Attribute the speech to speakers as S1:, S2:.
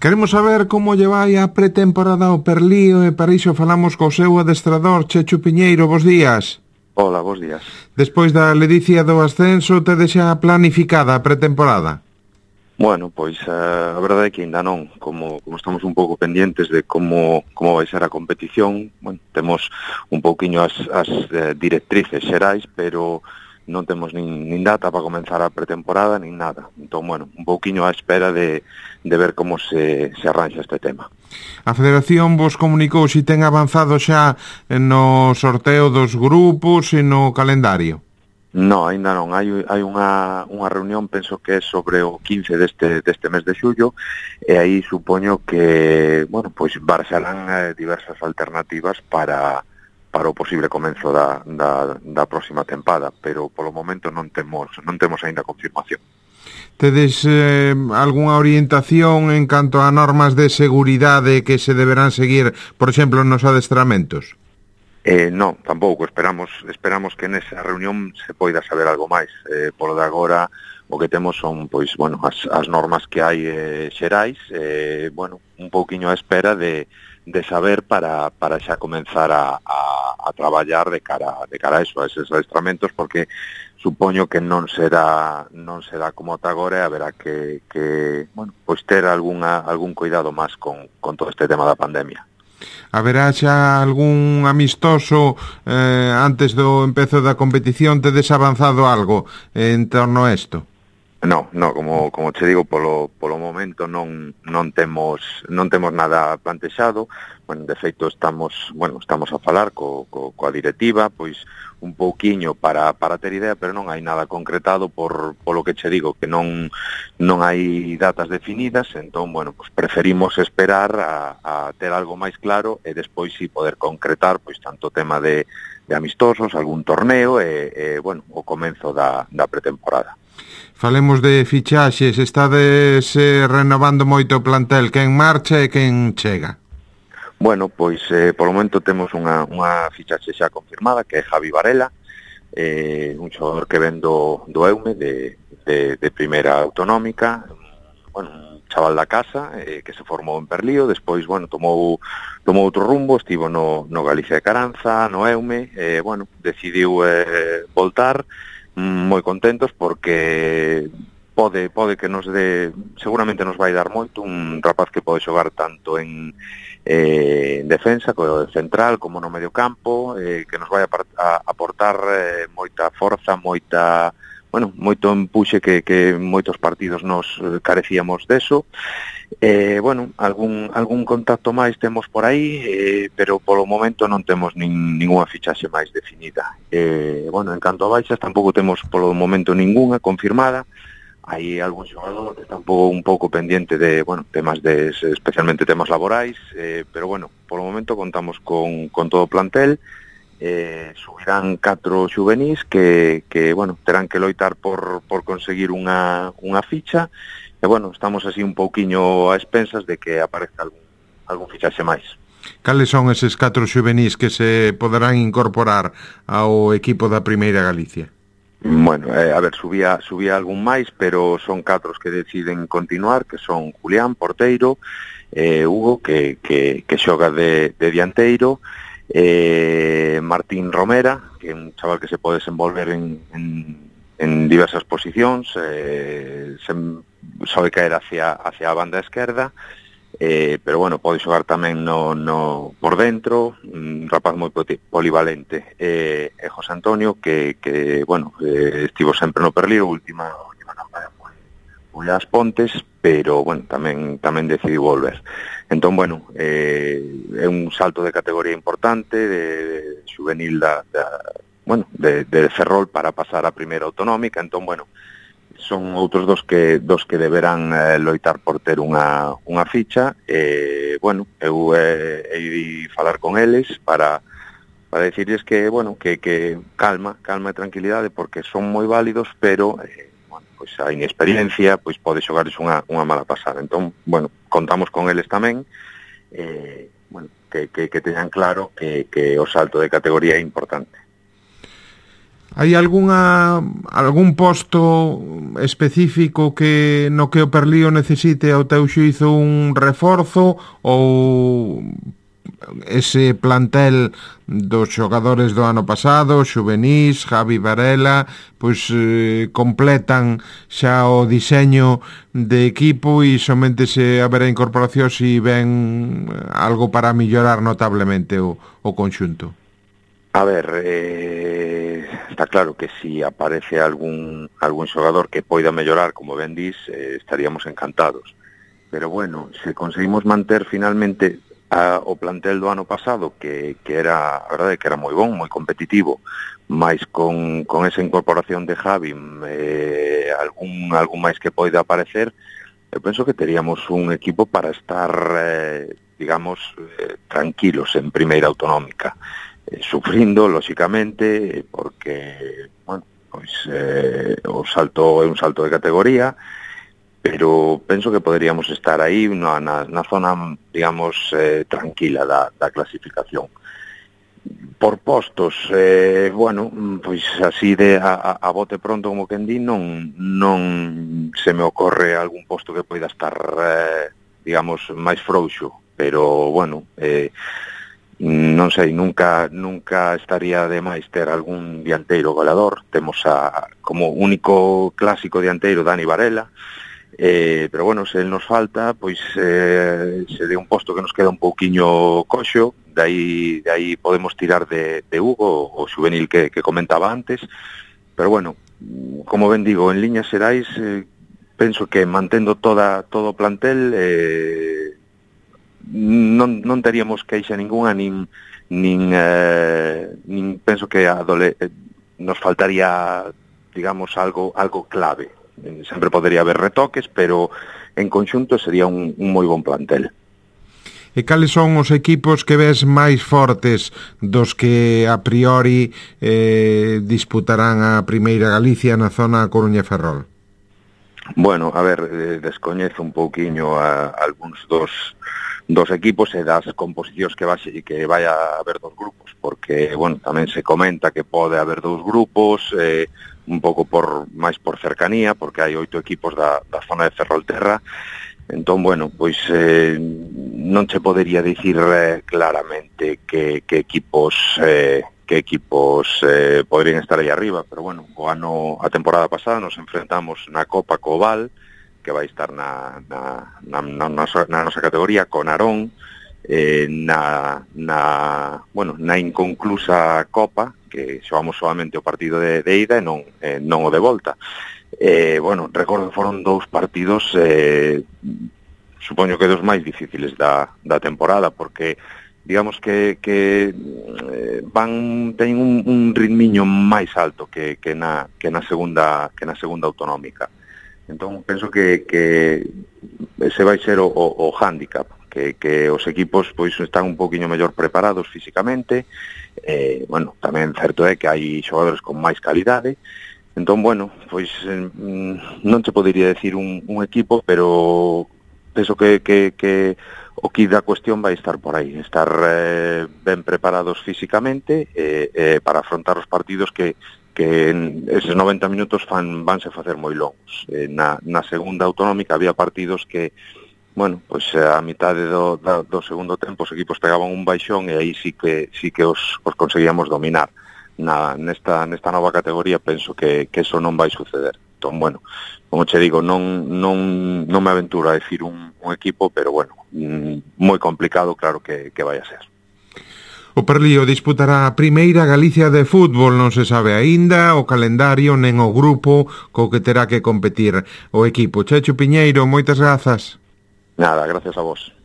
S1: Queremos saber como lle vai a pretemporada ao Perlío e para iso falamos co seu adestrador, Chechu Piñeiro. Bos días.
S2: Hola, bos días.
S1: Despois da ledicia do ascenso, tedes xa planificada a pretemporada?
S2: Bueno, pois a verdade é que ainda non, como estamos un pouco pendientes de como vai ser a competición, bueno, temos un pouquiño as directrices xerais, pero non temos nin data para comenzar a pretemporada, nin nada. Entón, bueno, un pouquiño á espera de ver como se arranxa este tema.
S1: A Federación vos comunicou se ten avanzado xa no sorteo dos grupos e no calendario?
S2: No, ainda non. Hai unha reunión, penso que é sobre o 15 deste mes de xullo, e aí supoño que, bueno, pois barxarán diversas alternativas para o posible comenzo da próxima tempada, pero polo momento non temos aínda confirmación.
S1: Tedes algunha orientación en canto a normas de seguridade que se deberán seguir, por exemplo, nos adestramentos?
S2: Non, tampouco, esperamos que nesa reunión se poida saber algo máis. Polo de agora o que temos son, pois, bueno, as normas que hai xerais, bueno, un pouquiño á espera de saber para xa comenzar a traballar de cara a eso, a eses adestramentos, porque supoño que non será como ata agora, e haberá que bueno, pois ter algún cuidado máis con todo este tema da pandemia.
S1: Haberá xa algún amistoso antes do empezo da competición? Tedes avanzado algo en torno a isto?
S2: No, como che digo, polo momento non temos nada plantexado. Bueno, de feito estamos a falar coa directiva, pois un pouquiño para ter idea, pero non hai nada concretado polo que che digo, que non hai datas definidas. Entón, bueno, pues preferimos esperar a ter algo máis claro e despois si poder concretar, pois tanto tema de amistosos, algún torneo e bueno, o comenzo da pretemporada.
S1: Falemos de fichaxes. Estades renovando moito o plantel. Quen marcha e quen chega?
S2: Bueno, pois polo momento temos unha fichaxe xa confirmada, que é Javi Varela, un xogador que ven do Eume, de primeira autonómica, bueno, un chaval da casa, que se formou en Perlío, despois, bueno, tomou outro rumbo, estivo no Galicia de Caranza, no Eume, bueno, decidiu voltar, moi contentos porque pode que nos seguramente nos vai dar moito, un rapaz que pode xogar tanto en defensa, como central, como no medio campo, que nos vai a aportar moita forza, moito empuxe que moitos partidos nos carecíamos deso. Bueno, algún contacto máis temos por aí, pero polo momento non temos ningunha fichaxe máis definida. Bueno, en canto a baixas tampouco temos polo momento ningunha confirmada. Hai algún xogador que está un pouco pendiente de, bueno, temas especialmente temas laborais, pero bueno, polo momento contamos con todo o plantel. Subirán 4 xuvenís que bueno, terán que loitar por conseguir unha ficha. E bueno, estamos así un pouquiño a expensas de que aparezca algún fichaxe máis.
S1: Cales son eses 4 xuvenís que se poderán incorporar ao equipo da Primeira Galicia?
S2: Bueno, a ver, subía algún máis, pero son 4 os que deciden continuar, que son Julián, porteiro, Hugo, que xoga de dianteiro, Martín Romera, que é un chaval que se pode desenvolver en diversas posicións, sabe caer hacia a banda esquerda, pero bueno, pode xogar tamén por dentro, un rapaz moi polivalente, e José Antonio, que bueno, estivo sempre no Perlío, última campaña foi as Pontes, pero bueno, tamén decidiu volver. Entón, bueno, é un salto de categoría importante, de juvenil de Ferrol para pasar a primeira autonómica. Entón, bueno, son outros dos que deberán loitar por ter unha ficha. Bueno, eu hei falar con eles para decirles que, bueno, que calma e tranquilidade, porque son moi válidos, pero bueno, pois a inexperiencia pois pode xogarles unha mala pasada. Entón, bueno, contamos con eles tamén, bueno, que teñan claro que o salto de categoría é importante.
S1: Hai algún posto específico no que o Perlío necesite ao teu xuízo un reforzo, ou ese plantel dos xogadores do ano pasado, Xuvenís, Javi Varela, pois completan xa o diseño de equipo e somente se haberá incorporación se ven algo para mellorar notablemente o conxunto?
S2: A ver, está claro que si aparece algún xogador que poida mellorar, como ben dis, estaríamos encantados. Pero bueno, se conseguimos manter finalmente o plantel do ano pasado, que era, a verdade, que era moi bon, moi competitivo, máis con esa incorporación de Javi, algún máis que poida aparecer, eu penso que teríamos un equipo para estar, digamos, tranquilos en primeira autonómica. Sufrindo, lóxicamente, porque, bueno, pois o salto é un salto de categoría, pero penso que poderíamos estar aí na zona, digamos, tranquila da clasificación. Por postos, bueno, pois así a bote pronto, como quen di, non se me ocorre algún posto que poida estar, digamos, máis frouxo, pero, bueno, non sei, nunca estaría de máis ter algún dianteiro goleador. Temos como único clásico dianteiro Dani Varela, pero bueno, se nos falta, pois se de un posto que nos queda un pouquiño coxo, de aí podemos tirar de Hugo, o xuvenil que comentaba antes, pero bueno, como ben digo, en liñas xerais, penso que mantendo todo o plantel, non teríamos queixa ninguna, nin penso que nos faltaría, digamos, algo clave. Sempre podería haber retoques, pero en conxunto sería un moi bon plantel.
S1: E cales son os equipos que ves máis fortes dos que a priori disputarán a Primeira Galicia na zona Coruña-Ferrol?
S2: Bueno, a ver, descoñezo un pouquiño algúns dos equipos e das composicións que vai haber dos grupos, porque, bueno, tamén se comenta que pode haber dous grupos, un pouco máis por cercanía, porque hai 8 equipos da zona de Ferrolterra. Entón, bueno, pois non se podería dicir claramente que equipos poderían estar aí arriba, pero bueno, a temporada pasada nos enfrentamos na Copa Cobal, que vai estar na nosa categoría, con Arón, na inconclusa Copa, que xogamos solamente o partido de ida e non o de volta. Bueno, recordo que foron 2 partidos, supoño que dos máis difíciles da temporada, porque digamos que teñen un ritmiño máis alto que na segunda autonómica. Entón, penso que ese vai ser o hándicap, que os equipos pois están un poquinho mellor preparados físicamente. Bueno, tamén certo é que hai xogadores con máis calidade. Entón, bueno, pois non se podería decir un equipo, pero penso que o que da cuestión vai estar por aí, estar ben preparados físicamente para afrontar os partidos que en eses 90 minutos vanse facer moi longos. Na segunda autonómica había partidos que, bueno, pois a mitade do segundo tempo os equipos pegaban un baixón e aí sí que os conseguíamos dominar. Nesta nova categoría penso que eso non vai suceder. Entón, bueno, como che digo, non me aventuro a decir un equipo, pero bueno, moi complicado, claro que vai a ser.
S1: O Perlío disputará a Primeira Galicia de fútbol, non se sabe aínda o calendario nen o grupo co que terá que competir o equipo. Checho Piñeiro, moitas grazas.
S2: Nada, gracias a vos.